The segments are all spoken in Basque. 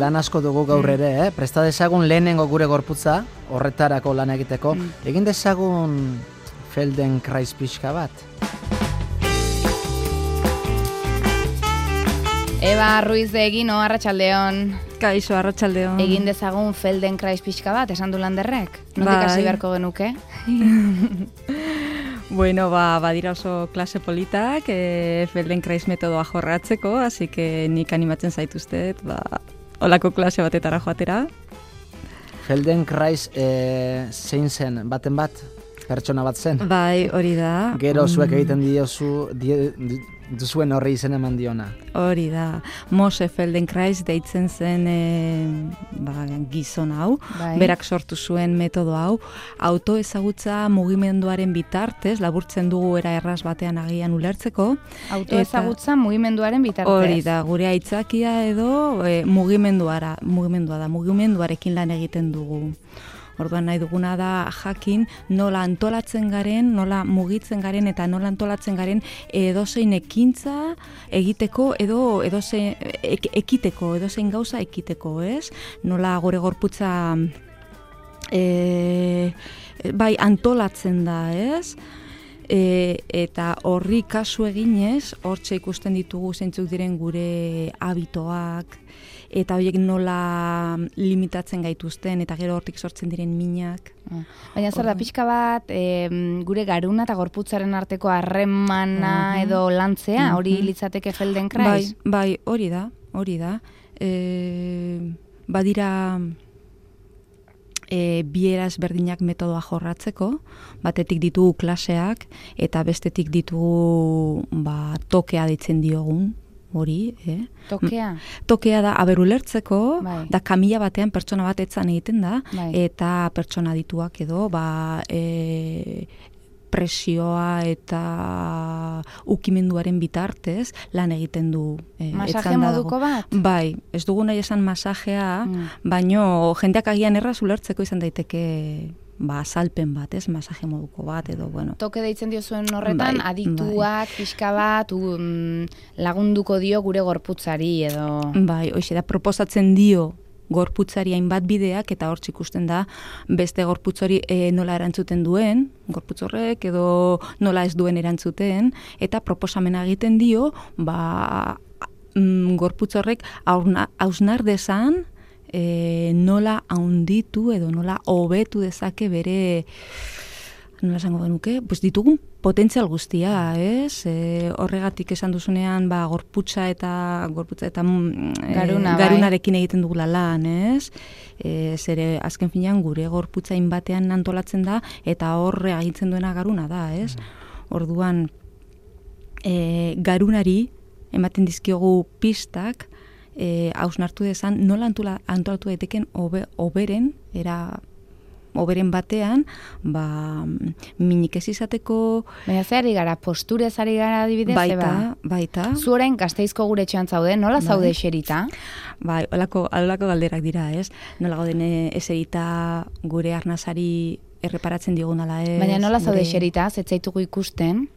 Lan asko dugu gaur ere, presta dezagun lehenengo gure gorputza, horretarako lan egiteko. Egin dezagun Feldenkrais pixka bat. Eba Ruiz de Egino, arratsaldeon. Kaixo, arratsaldeon. Egin dezagun Feldenkrais pixka bat, esan du Landerrek? Nondik hasi beharko genuke? Bueno, badira oso klase politak, Feldenkrais metodoa jorratzeko, así que nik animatzen zaituztet, olako klase batetara joatera. Feldenkrais zein zen, baten bat? Pertsona bat zen? Bai, hori da. Gero zuek egiten duzuen horri izen eman diona. Hori da. Mose Feldenkrais deitzen zen gizon hau. Bai. Berak sortu zuen metodo hau. Autoezagutza mugimenduaren bitartez, laburtzen dugu era erraz batean agian ulertzeko. Autoezagutza mugimenduaren bitartez. Hori da, gure aitzakia edo mugimenduarekin lan egiten dugu. Orduan nahi duguna da jakin nola antolatzen garen, nola mugitzen garen eta nola antolatzen garen edozein ekintza egiteko edo edozein ekiteko, edozein gauza ekiteko, ez? Nola gure gorputza antolatzen da, ez? Eta horri kasu eginez, hortxe ikusten ditugu zeintzuk diren gure habitoak, eta horiek nola limitatzen gaituzten, eta gero hortik sortzen diren minak. Baina zer da, pixka bat, gure garuna eta gorputzaren arteko harremana edo lantzea, hori litzateke Feldenkrais? Bai, hori da. Badira bieraz berdinak metodoa jorratzeko, batetik ditugu klaseak, eta bestetik ditugu tokea deitzen diogun, hori, Tokea? Tokea da, ulertzeko, da kamila batean pertsona bat etzan egiten da, eta pertsona dituak edo, presioa eta ukimenduaren bitartez lan egiten du. Masaje moduko bat? Bai, ez dugu nahi esan masajea, baino jendeak agian erraz ulertzeko izan daiteke azalpen bat, ez, masaje moduko bat, edo, bueno. Toke deitzen dio zuen horretan, adituak, pixka bat, lagunduko dio gure gorputzari, edo... Bai, hoxe da, proposatzen dio gorputzari hainbat bideak, eta hortz ikusten da, beste gorputz hori nola erantzuten duen, gorputz horrek, edo nola ez duen erantzuten, eta proposamena egiten dio, gorputz horrek hausnar dezan, nola haunditu edo nola hobetu dezake bere, nola esango genuke, ditugun potentzial guztia, ez? Horregatik esan duzunean, gorputza eta garunarekin egiten dugula lan, ez? Zere, azken finean, gure gorputza inbatean antolatzen da, eta horre agintzen duena garuna da, ez? Orduan, garunari ematen dizkiogu pistak, hausnartu dezan, nola antolatu daiteken oberen batean, minik ez izateko... Baina zehari gara, posturez ari gara adibidez, baita. Zu orain Gasteizko gure etxean zaude, nola zaude eserita? Bai, holako galderak dira, ez? Nola gauden eserita gure arnazari erreparatzen diogunala, ez? Baina nola zaude eserita, zetzaitugu ikusten?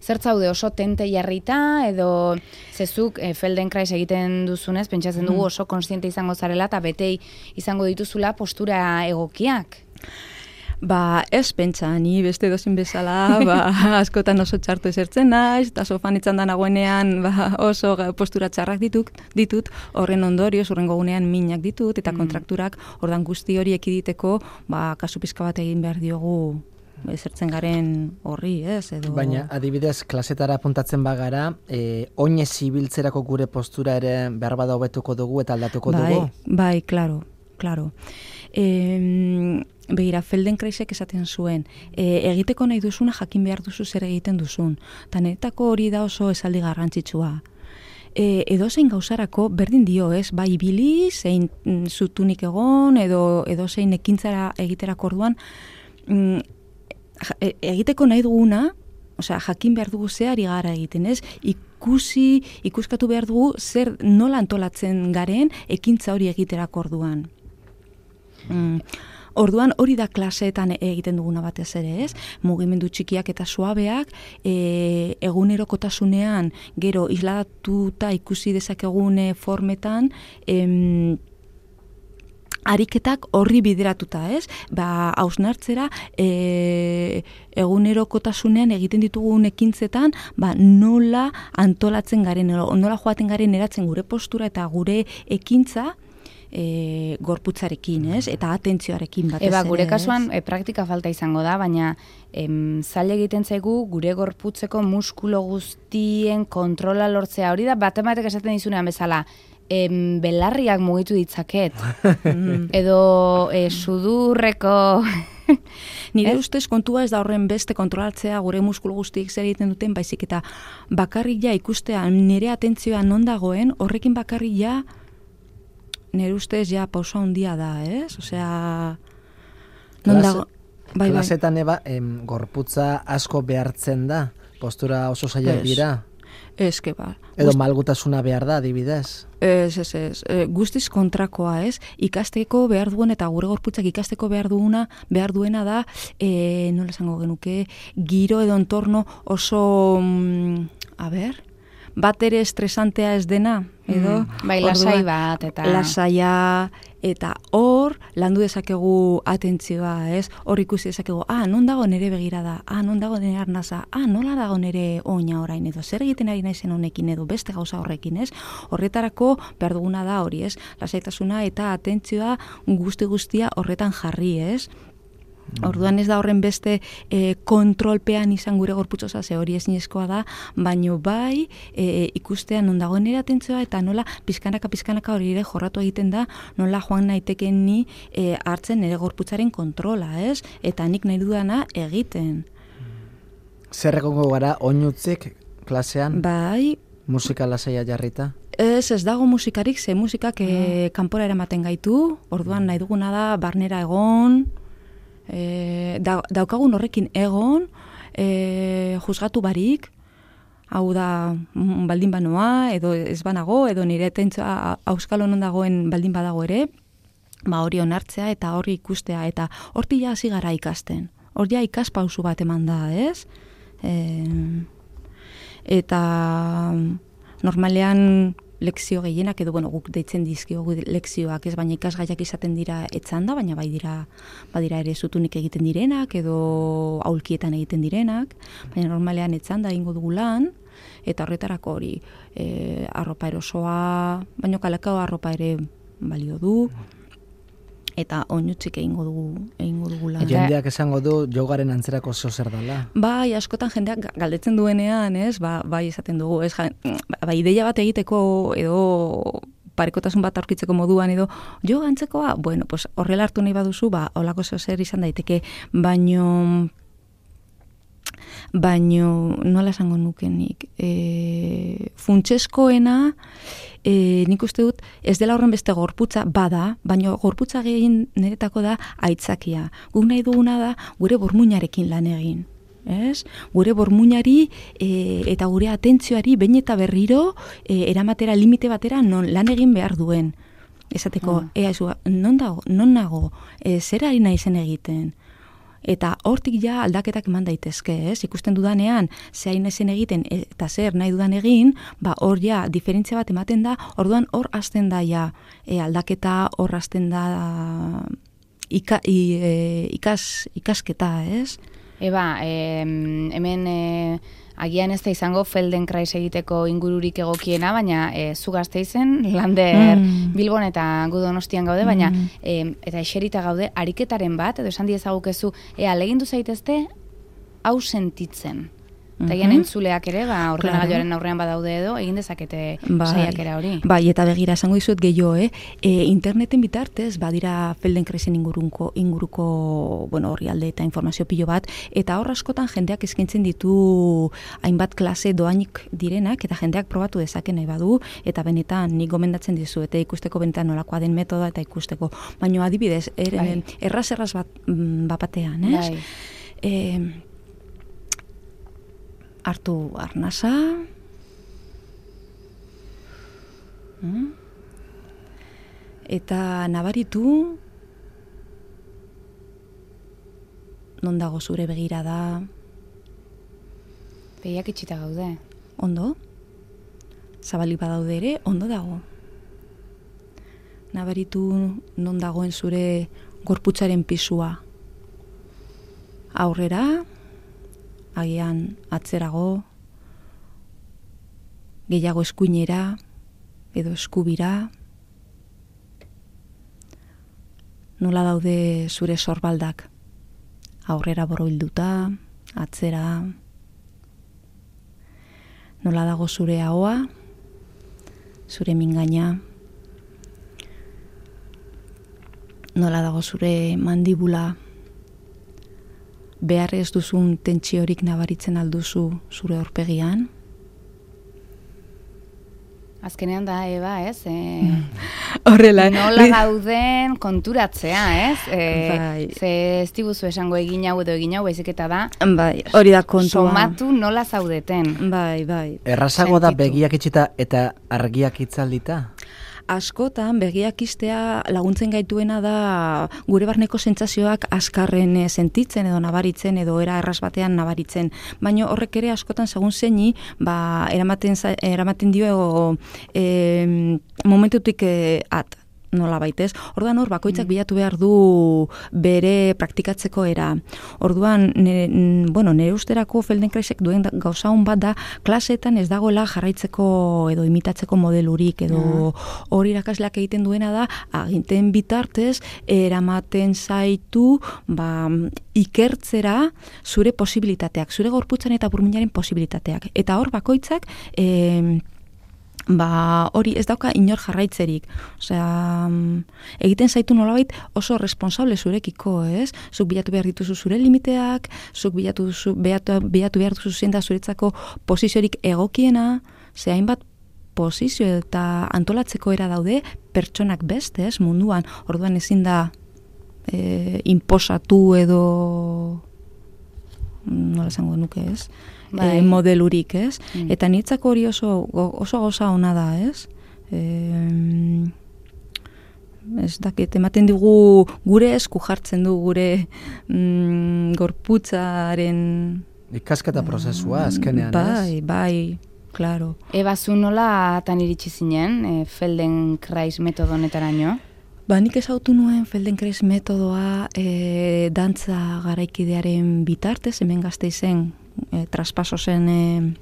Zer zaude oso tente jarrita, edo zezuk Feldenkrais egiten duzunez, pentsatzen dugu oso konstiente izango zarela, eta betei izango dituzula postura egokiak? Ez pentsa, ni beste dozin bezala, askotan oso txartu esertzen naiz, eta sofan etzan da nagoenean oso postura txarrak ditut, horren ondorioz, horrengo gunean minak ditut, eta kontrakturak, ordan guzti hori ekiditeko, kasu pizka bat egin behar diogu, ezertzen garen horri, ez? Edo... Baina, adibidez, klasetara apuntatzen bagara, oinez ibiltzerako gure postura ere behar bada hobetuko dugu eta aldatuko dugu? Bai, klaro. Begira, Feldenkraisek esaten zuen, egiteko nahi duzuna jakin behar duzu zer egiten duzun. Tanetako hori da oso esaldi garrantzitsua. Edozein gauzarako berdin dio, ez? Bai ibili, zein zutunik egon, edo zein ekintzara egiterako orduan, egiteko nahi duguna, jakin behar dugu zeari gara egiten, ez? Ikuskatu behar dugu zer nola antolatzen garen ekintza hori egiterako orduan. Orduan hori da klaseetan egiten duguna batez ere, ez? Mugimendu txikiak eta suabeak, egunerokotasunean gero isladatuta ikusi dezakegune formetan, ariketak horri bideratuta, ez? Hausnartzera, egunerokotasunean egiten ditugun ekintzetan, nola antolatzen garen, nola joaten garen eratzen gure postura eta gure ekintza, gorputzarekin, ez? Eta atentzioarekin batez ere. Gure kasuan praktika falta izango da, baina zaila egiten zaigu gure gorputzeko muskulo guztien kontrola lortzea. Hori da, batematek esaten dizunean bezala, belarriak mugitu ditzaket. Edo sudurreko... Nire ustez kontua ez da horren beste kontrolatzea gure muskulu guztiek zer egiten duten, baizik eta bakarrik ja ikustea nire atentzioa non dagoen, horrekin bakarrik ja nire ustez ja pausa handia da, ez? Osea, non dago... Klasetan gorputza asko behartzen da, postura oso zailak dira. Eske Edo malgutasuna behar da, adibidez. Ez. Guztiz kontrakoa, ez? Ikasteko behar duen eta gure gorputzak ikasteko behar duena da, nola esango genuke, giro edo entorno oso, bat ere estresantea ez dena, edo? Lasai bat, eta... Lasaia, eta hor, landu dezakegu atentzioa, ez? Hor ikusi dezakegu, non dago nire begirada, non dago nire arnaza, nola dago nire oina orain, edo zer egiten ari naizen honekin, edo beste gauza horrekin, ez? Horretarako behar duguna da hori, ez? Lasaitasuna eta atentzioa guztia horretan jarri, ez? Orduan ez da horren beste kontrolpean izan gure gorputzosa, ze hori ezinezkoa da, baino bai ikustean non dagoen nire atentzioa eta nola pizkanaka hori ere jorratu egiten da, nola joan naiteken ni hartzen nire gorputzaren kontrola, ez? Eta nik nahi dudana egiten. Zer egongo gara oinutzik klasean? Bai. Musika lasaia jarrita? Ez dago musikarik, ze musikak kanpora eramaten gaitu, orduan nahi duguna da barnera egon, daukagun horrekin egon, juzgatu barik, hau da baldin banoa, edo ez banago, edo nire atentzioa auskalo non dagoen baldin badago ere, hori onartzea eta hori ikustea, eta horti ja hasi gara ikasten. Hori ja ikaspausu bat eman da, ez? Eta normalean lekzio gehienak, edo guk deitzen dizkiogu lekzioak, ez, baina ikasgaiak izaten dira etzanda, baina badira ere zutunik egiten direnak, edo aulkietan egiten direnak, baina normalean etzanda egingo dugu lan, eta horretarako hori arropa erosoa, baina kalakao arropa ere balio du, eta oinutzik egingo dugu lan. Jendeak esango du jogaren antzerako zer dela. Bai, askotan jendeak galdetzen duenean, ez, bai esaten dugu, ez, ideia bat egiteko edo parekotasun bat aurkitzeko moduan edo joga antzekoa, bueno, pues horrela hartu nahi baduzu, holako zer izan daiteke, baino nola esango nukenik, funtseskoena, nik uste dut ez dela horren beste gorputza bada, baina gorputza gehien niretako da aitzakia. Guk nahi duguna da gure burmuinarekin lan egin. Ez? Gure burmuinari eta gure atentzioari behin eta berriro eramatera limite batera non lan egin behar duen. Esateko, non nago, zer ari naizen egiten. Eta hortik ja aldaketak eman daitezke, ez? Ikusten dudanean, zehain ezen egiten eta zer nahi dudan egin, hor ja diferentzia bat ematen da, orduan hor hasten da ja aldaketa, hor hasten da ikasketa, ez? Hemen agian ez da izango Feldenkrais egiteko ingururik egokiena, baina zu Gasteizen, Lander, Bilbon eta gu Donostian gaude, baina eta eserita gaude, ariketaren bat, edo esan diezagukezu, legindu zaitezte hau sentitzen. Eta gian entzuleak ere, ordenagailuaren aurrean badaude edo, egin dezakete saiakera hori. Bai, eta begira, esango dizuet gehiago, interneten bitartez, badira Feldenkraisen inguruko, horri alde eta informazio pilo bat, eta hor askotan jendeak eskaintzen ditu hainbat klase doainik direnak, eta jendeak probatu dezake nahi badu, eta benetan nik gomendatzen dizu, eta ikusteko benetan nolakoa den metoda, eta ikusteko. Baina adibidez, erraz bat batean, ez? Hartu arnasa, eta nabaritu non dago zure begirada. Begiak itxita gaude. Ondo? Zabalik badaude ere, ondo dago. nabaritu non dagoen zure gorputzaren pisua. Aurrera, agian atzerago, gehiago eskuinera edo eskubira. Nola daude zure sorbaldak? Aurrera borobilduta, atzera. Nola dago zure ahoa, zure mingaina. Nola dago zure mandibula. Behar ez duzun tentsiorik nabaritzen alduzu zure aurpegian. Azkenean da, Eba, ez? Horrela. Nola gauden konturatzea, ez? Bai. Ze ez diguzu esango egin hau edo egin hau, baizik eta da. Bai, hori da kontua. Somatu nola zaudeten. Bai. Errazago da Sentitu. begiak itxita eta argiak itzaldita? Askotan begiak istea laguntzen gaituena da gure barneko sentsazioak azkarren sentitzen edo nabaritzen edo era erraz batean nabaritzen. Baina horrek ere askotan segun zeini eramaten dio momentutik at. Nola baitez. Orduan hor bakoitzak bilatu behar du bere praktikatzeko era. Orduan, nire usterako Feldenkraisek duen gauza hon bat da, klaseetan ez dagoela jarraitzeko edo imitatzeko modelurik, edo hori irakasleak egiten duena da, aginten bitartez, eramaten zaitu, ikertzera zure posibilitateak, zure gorputzan eta burmuinaren posibilitateak. Eta hor bakoitzak, hori ez dauka inor jarraitzerik. Osea, egiten zaitu nolabait oso responsable zurekiko, ez? Zuk bilatu behar dituzu zure limiteak, zuk bilatu behar duzu zein da zuretzako posiziorik egokiena, ze hainbat posizio eta antolatzeko era daude pertsonak beste, ez? Munduan, orduan ezin da inposatu edo nola esango nuke, ez? Modelurik, ez? Eta niretzako hori oso gauza ona da, ez? Ez dakit, ematen digu gure esku jartzen du gure gorputzaren Ikasketa prozesua, azkenean, ez? Bai, claro. Eba, zu nola tan iritsi zinen Feldenkrais metodo honetaraino? Nik ezautu nuen Feldenkrais metodoa dantza garaikidearen bitartez, hemen Gasteizen traspaso zen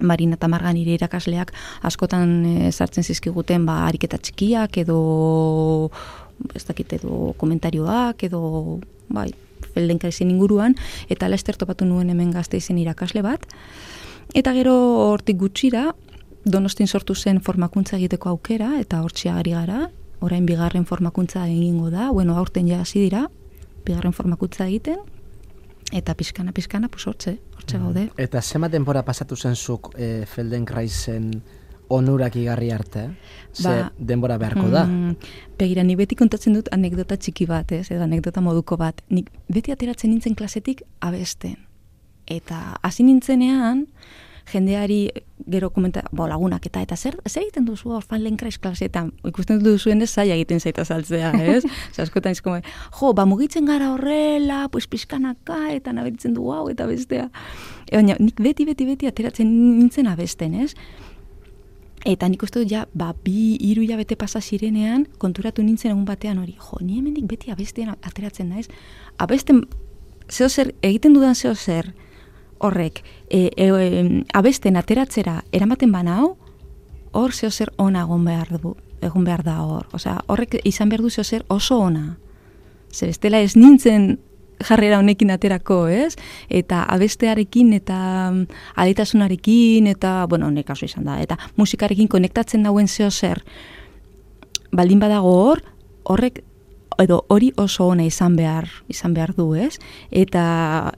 Marina eta Marga nire irakasleak askotan sartzen zizkiguten ariketa txikiak edo ez dakit edo komentarioak edo Feldenkraisen inguruan, eta laster topatu nuen hemen Gasteizen irakasle bat, eta gero hortik gutxira Donostin sortu zen formakuntza egiteko aukera, eta hortxea ari gara. Orain bigarren formakuntza egingo da, aurten ja hasi dira, bigarren formakuntza egiten, eta pixkana, hortxe gaude. Eta zema denbora pasatu zen zuk Feldenkraisen onurak igarri arte? Ze denbora beharko da? Begira, nik beti kontatzen dut anekdota txiki bat, edo anekdota moduko bat. Nik beti ateratzen nintzen klasetik abesten. Eta hasi nintzenean, jendeari gero lagunak eta zer egiten duzu hor Feldenkrais klaseetan, ikusten duzuen ez zaila egiten zaita saltzea, ez? Askotan izko, mugitzen gara horrela, pixkanaka, eta naberitzen du hau eta bestea. Baina nik beti ateratzen nintzen abesten, ez? Eta nik uste dut 2-3 hilabete pasa zirenean, konturatu nintzen egun batean hori, ni hemendik beti abestean ateratzen naiz. Abesten, zeozer, egiten dudan zeozer, horrek, abesten ateratzera eramaten banau, hor zeozer ona egon behar da hor. Osea, horrek izan behar du zeozer oso ona. Ze bestela ez nintzen jarrera honekin aterako, ez? Eta abestearekin eta aditasunarekin eta, honek kasu izan da, eta musikarekin konektatzen dauen zeozer baldin badago horrek edo hori oso ona izan behar du, ez? Eta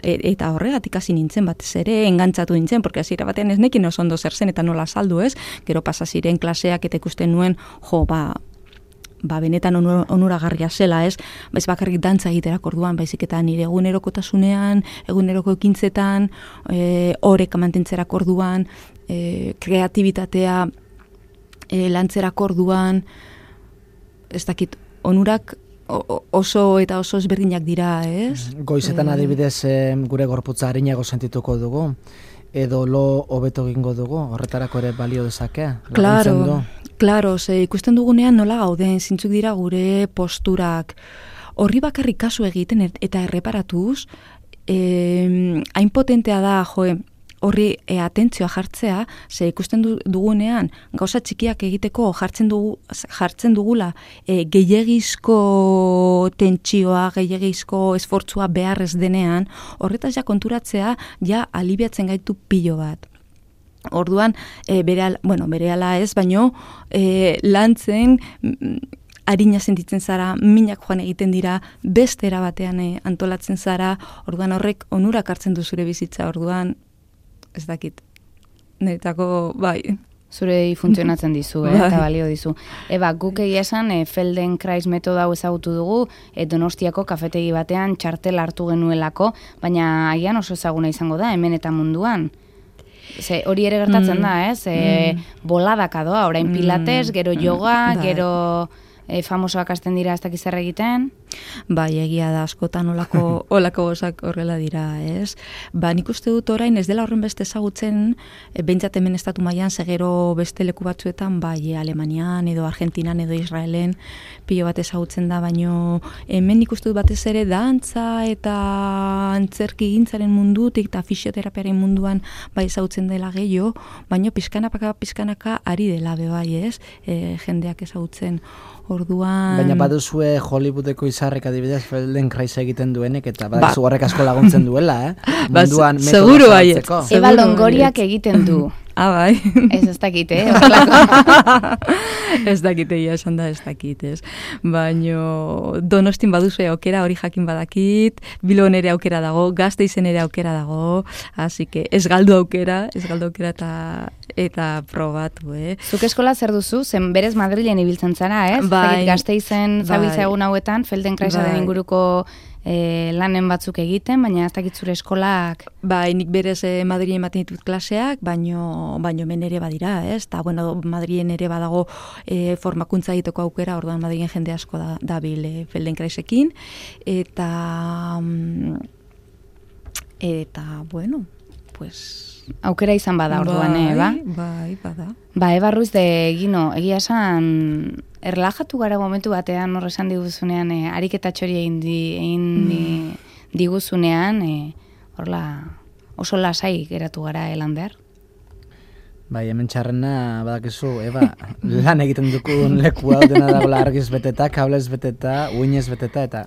horregatik hasi nintzen batez ere, engantzatu nintzen, porque hasiera batean ez nekin oso ondo zer zen eta nola saldu, ez? Gero pasa ziren klaseak eta ikusten nuen, benetan onuragarria zela, ez? Ez bakarrik dantza egiterak orduan, baizik eta nire egunerokotasunean, eguneroko ekintzetan, horrek mantentzerak orduan, kreatibitatea lantzerak orduan, ez dakit, onurak oso eta oso ezberdinak dira, ez? Goizetan adibidez gure gorputza arinago sentituko dugu, edo lo hobeto egingo dugu, horretarako ere balio dezake? Claro, Klaro, ikusten dugunean nola gauden, zintzuk dira gure posturak. Horri bakarrik kasu egiten eta erreparatuz, hain potentea da, horri atentzioa jartzea, ze ikusten dugunean gauza txikiak egiteko jartzen dugula gehiegizko tentsioa, gehiegizko esfortzua beharrez denean, horretaz ja konturatzea ja alibiatzen gaitu pilo bat. Orduan, berehala ez, baino lantzen harina sentitzen zara, minak joan egiten dira, beste era batean antolatzen zara, orduan horrek onurak hartzen du zure bizitza, orduan ez dakit. Niretako, bai. Zure funtzionatzen dizu, eta balio dizu. Guk egia esan, Feldenkrais metoda hau ezagutu dugu, Donostiako kafetegi batean txartel hartu genuelako, baina agian oso ezaguna izango da, hemen eta munduan. Hori ere gertatzen da, ez? Boladaka doa, orain pilates, gero yoga, gero famosoak hasten dira ez dakiz zer egiten. Bai, egia da, askotan olako gozak horrela dira, ez? Nik uste dut orain ez dela horren beste ezagutzen, behintzat hemen estatu mailan, segero beste leku batzuetan, bai, Alemanian, edo Argentinan, edo Israelen, pilo bat ezagutzen da, baino hemen nik uste dut batez ere dantza eta antzerki gintzaren mundutik eta fisioterapiaren munduan bai ezagutzen dela gehiago, baino pizkanaka ari dela bai, ez? Jendeak ezagutzen. Orduan... Baina baduzue Hollywoodeko izarrek adibidez Feldenkrais egiten duenek, eta badakizu horrek asko laguntzen duela, munduan seguro bai. Eba Longoriak egiten du. Bai. Ez dakit, Ez dakit, esan da ez dakit, ez. Baina Donostin baduzue aukera, hori jakin badakit, Bilbon ere aukera dago, Gasteizen ere aukera dago, así que ez galdu aukera eta probatu, Zuk eskola zer duzu? Zen berez Madrilen ibiltzen zara, ez? Bai. Gasteizen zabiltza egun hauetan, Feldenkraisaren inguruko lanen batzuk egiten, baina ez dakit zure eskolak... Bai, nik berez Madrilen ematen ditut klaseak, baino hemen ere badira, ez? Eta, Madrilen ere badago formakuntza egiteko aukera, orduan Madrilen jende asko dabil Feldenkraisekin, eta, pues... Aukera izan bada orduan, Eba? Bai, bada. Eba Ruiz de Gino, egia esan, erlajatu gara momentu batean, horresan diguzunean, ariketatxori egin diguzunean, horla oso lasai geratu gara Lander. Bai, hemen txarrena, badakizu, Eba, lan egiten dukun leku hau dena dagoela argiz beteta, kablez beteta, uinez beteta, eta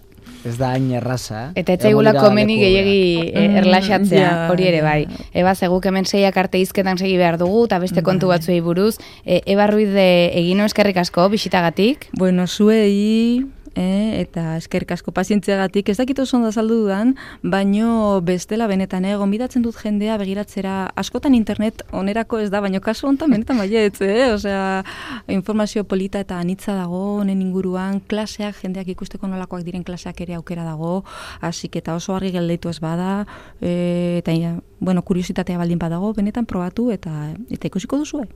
ez da hain erraza. Eta etzaigula komeni gehiegi erlaxatzea, hori ere bai. Eba, zeguk hemen 6 arte hizketan segi behar dugu, eta beste kontu batzuei buruz. Eba Ruiz de Egino, eskerrik asko, bisitagatik. Bueno, zuei... eta eskerrik asko pazientziagatik, ez dakit oso ondo azaldu dudan, baino bestela benetan, gonbidatzen dut jendea begiratzera, askotan internet onerako ez da, baino kasu honetan benetan baietz, osea, informazio polita eta anitza dago, honen inguruan, klaseak, jendeak ikusteko nolakoak diren klaseak ere aukera dago, hasi eta oso argi geldeitu ez bada, eta, kuriositatea baldin badago, benetan probatu eta ikusiko duzue.